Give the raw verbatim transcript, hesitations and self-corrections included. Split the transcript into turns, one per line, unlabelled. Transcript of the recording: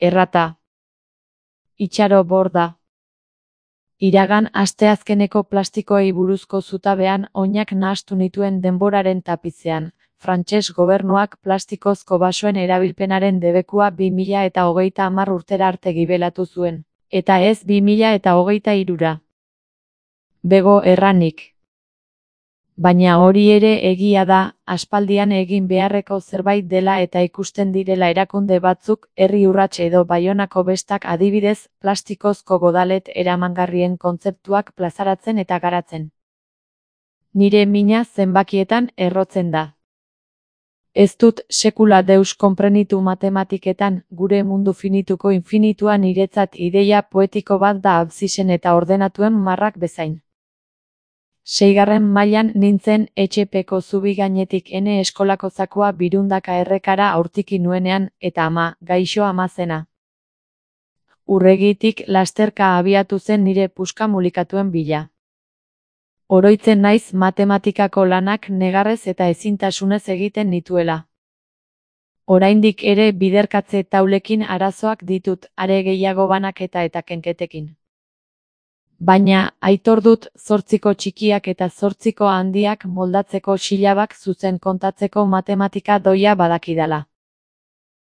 Errata. Itxaro borda. Iragan asteazkeneko plastikoei buruzko zutabean oinak nahastu nituen denboraren tapizean. Frantses gobernuak plastikozko basoen erabilpenaren debekua bi mila eta hogeita hamar urtera arte gibelatu zuen, eta ez bi mila eta hogeita hirura. Bego erranik. Baina hori ere egia da, aspaldian egin beharreko zerbait dela eta ikusten direla erakunde batzuk, herri urrats edo Baionako bestak adibidez, plastikozko godalet eramangarrien kontzeptuak plazaratzen eta garatzen. Nire mina zenbakietan errotzen da. Ez dut sekula deus konprenitu matematiketan, gure mundu finituko infinitua niretzat ideia poetiko bat da absisen eta ordenatuen marrak bezain. Seigarren mailan nintzen etxepeko zubi gainetik ene eskolako zakua birundaka errekara aurtiki nuenean, eta ama, gaixo ama zena. Urregitik lasterka abiatu zen nire puska mulikatuen bila. Oroitzen naiz matematikako lanak negarrez eta ezintasunez egiten nituela. Oraindik ere biderkatze taulekin arazoak ditut, are gehiago banaketa eta kenketekin. Baina, aitor dut, zortziko txikiak eta zortziko handiak moldatzeko silabak zuzen kontatzeko matematika doia badakidala.